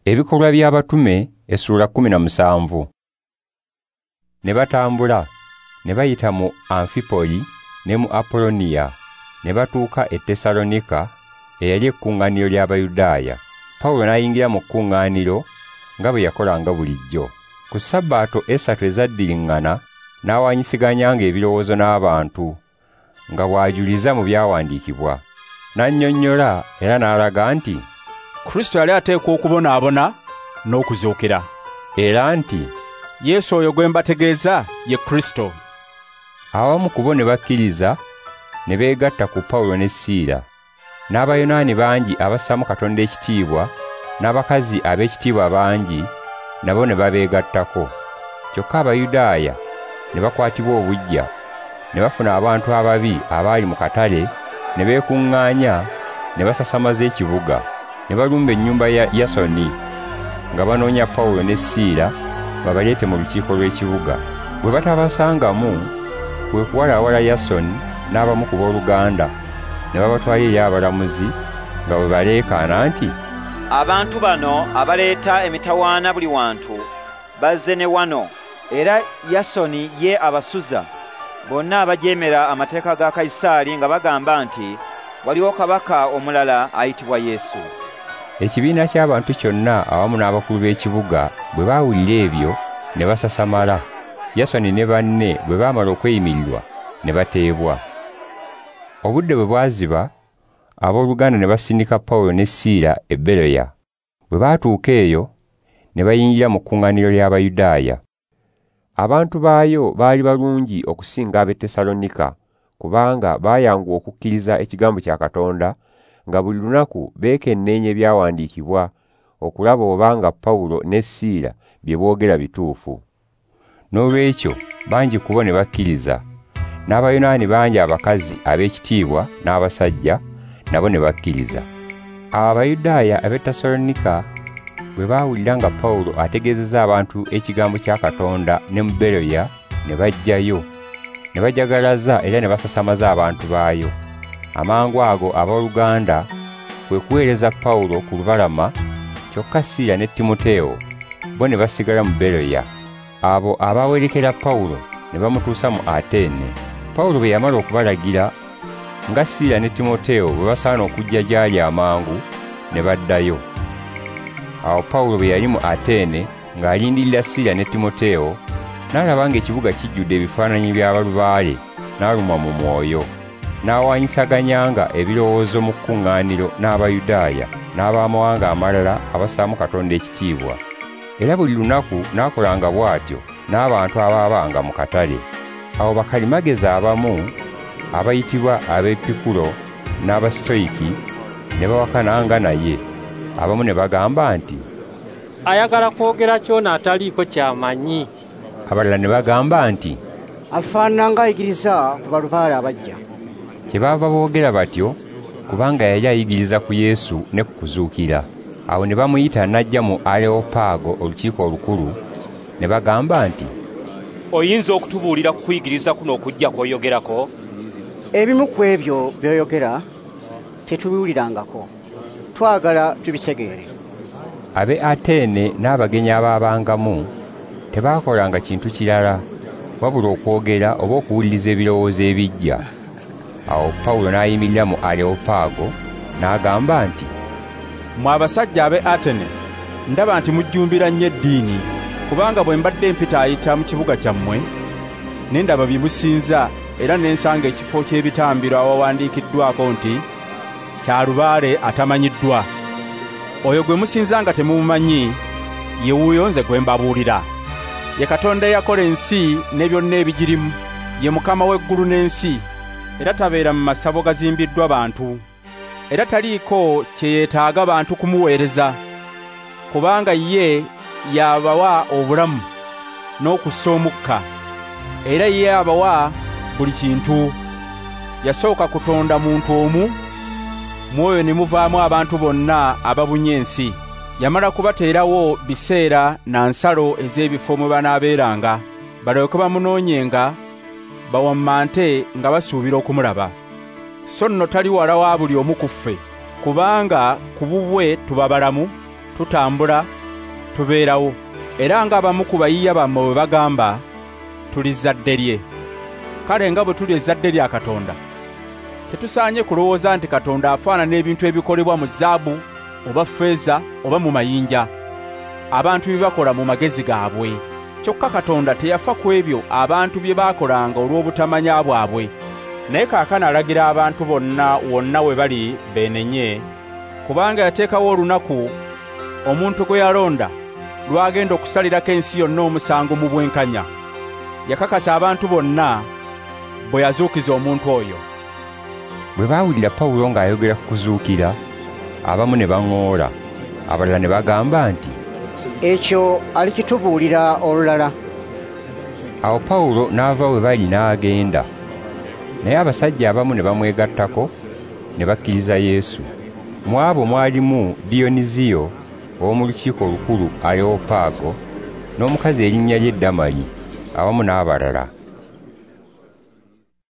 Ebikolwa by'Abatume essuula 17. Ne batambula ne bayita mu Amfipoli ne mu Apoloniya ne batuuka e Tesalonika eyali ekkuŋŋaaniro ly'Abayudaaya. Pawulo n'ayingira mu kkuŋŋaaniro nga bwe yakolanga bulijjo. Ku Sabbaato 3 ezaddiriŋŋana n'awaanyisiganyanga ebirowoozo n'abantu nga bw'ajuliza mu byawandiikibwa. N'annyonnyola era n'alaga nti Kristo yali ateekwa okubonaabona n'okuzuukira, era nti Yesu oyo gwe mbategeeza ye Kristo. Abamu ku bo ne bakkiriza ne beegatta ku Pawulo ne Siira. N'Abayonaani bangi abassaamu Katonda ekitiibwa n'abakazi ab'ekitiibwa bangi nabo ne babeegattako. Kyokka Abayudaaya ne bakwatibwa obuggya, ne bafuna abantu ababi abaali mu katale ne beekuŋŋaanya ne basasamaza ekibuga. Ne balumba ennyumba ya Yasoni nga banoonya Pawulo ne Siira babaleete mu lukiiko lw'ekibuga. Bwe batabasangamu, kwe kuwalaawala Yasoni n'abamu ku booluganda ne babatwala eri abalamuzi nga bwe baleekaana nti, abantu bano abaleeta emitawaana buli wantu bazze ne wano, era Yasoni ye abasuza bonna abajeemera amateeka ga Kayisaali nga bagamba nti waliwo kabaka omulala ayitibwa Yesu. Ekibiina ky'abantu kyonna awamu n'abakulu b'ekibuga bwe baawulira ebyo ne basasamala. Yasoni ne banne bwe baamala okweyimirirwa ne bateebwa. Obudde bwe bwaziba, abooluganda ne basindika Pawulo ne Siira e Beroya. Bwe baatuuka eyo ne bayingira mu kkuŋŋaaniro ly'Abayudaaya. Abantu baayo baali balungi okusinga ab'e Tesalonika, kubanga baayanguwa okukkiriza ekigambo kya Katonda nga buli lunaku beekenneenya ebyawandiikibwa okulaba obanga Pawulo ne Siira bye boogera bituufu. Noolwekyo bangi ku bo ne bakkiriza, n'Abayonaani bangi abakazi ab'ekitiibwa n'abasajja nabo ne bakkiriza. Awo Abayudaaya ab'e Tesalonika bwe baawulira nga Pawulo ategeezezza abantu ekigambo kya Katonda ne mu Beroya, ne bajjayo, ne bajagalaza era ne basasamaza abantu baayo. Amangu ago abooluganda kwe kuweereza Pawulo ku lubalama, kyokka Siira ne Timoteewo bo ne basigala mu Beroya. Abo abaawerekera Pawulo ne bamutuusa mu Atene. Pawulo bwe yamala okubalagira nga Siira ne Timoteewo bwe basaana okujja gy'ali amangu, ne baddayo. Awo Pawulo bwe yali mu Atene ng'alindirira Siira ne Timoteewo, n'alaba ng'ekibuga kijjudde ebifaananyi by'abalubaale, n'alumwa mu mwoyo. N'awaanyisaganyanga ebirowoozo mu kkuŋŋaaniro n'Abayudaaya n'abamawanga amalala abassaamu Katonda ekitiibwa. Era buli lunaku n'akolanga bw'atyo n'abantu abaabanga mu katale. Awo bakalimagezi abamu abayitibwa ab'Epikulo n'Abasitoyiki ne bawakananga naye. Abamu ne bagamba nti, ayagala kwogera kyona ataliiko ky'amanyi. Abalala ne bagamba nti, afaanana ng'ayigiriza ku balubaale abajja. Kyebaava boogera batyo kubanga yali ayigiriza ku Yesu ne ku kuzuukira. Awo ne bamuyita n'ajja mu Areopaago olukiiko olukulu, ne bagamba nti, oyinza okutubuulira ku kuyigiriza kuno okujja kw'oyogerako? Ebimu ku ebyo by'oyogera tetubiwulirangako, twagala tubitegeere. Ab'e Atene n'abagenyi abaabangamu tebaakolanga kintu kirala wabula okwogera oba okuwuliriza ebirowoozo ebiggya. Awo Pawulo n'ayimirira mu Areopaago n'agamba nti, mmwe abasajja ab'e Atene, ndaba nti mujjumbira nnyo eddiini, kubanga bwe mbadde mpitaayita mu kibuga kyammwe, ne ndaba bye musinza era ne nsanga ekifo ky'ebitambiro awawandiikiddwako nti, kya lubaale atamanyiddwa. Oyo gwe musinza nga temumumanyi, ye wuuyo nze gwe mbabuulira. Ye Katonda eyakola ensi ne byonna ebigirimu, ye Mukama w'eggulu n'ensi, era tabeera mu masabo gazimbiddwa bantu. Era taliiko kye yeetaaga bantu kumuweereza, kubanga ye y'abawa obulamu n'okussa omukka, era ye abawa buli kintu. Yasooka kutonda muntu omu, mwoyo ne muvaamu abantu bonna ababunye ensi. Yamala kubateerawo biseera na nsalo ez'ebifo mwe banaabeeranga, balyoke bamunoonyenga bawammante nga basuubira okumulaba. So nno tali wala wa buli omu ku ffe, kubanga ku bubwe tuba balamu, tutambula, tubeerawo. Era ng'abamu ku bayiiya bammwe bwe bagamba, tuli zzadde lye. Kale nga bwe tuli ezzadde lya Katonda, tetusaanye kulowooza nti Katonda afaanana ebintu ebikolebwa mu zaabu oba ffeeza oba mu mayinja, abantu bye bakola mu magezi gaabwe. Kyokka Katonda teyafa ku ebyo abantu bye baakolanga olw'obutamanya bwabwe. Naye kaakano alagira abantu bonna wonna we bali beenenye, kubanga yateekawo olunaku omuntu gwe yalonda lw'agenda okusalirako ensi yonna omusango mu bwenkanya. Yakakasa abantu bonna bwe yazuukiza omuntu oyo. Bwe baawulira Pawulo ng'ayogera ku kuzuukira, abamu ne baŋŋoola, abalala ne bagamba nti, Ekyo alikitubuulira olulala. Awo Pawulo n'ava we bali n'agenda. Naye abasajja abamu ne bamwegattako ne bakkiriza Yesu. Mu abo mwalimu Diyoniziyo ow'omu Lukiiko Olukulu Areopaago, n'omukazi erinnya lye Damali, awamu n'abalala.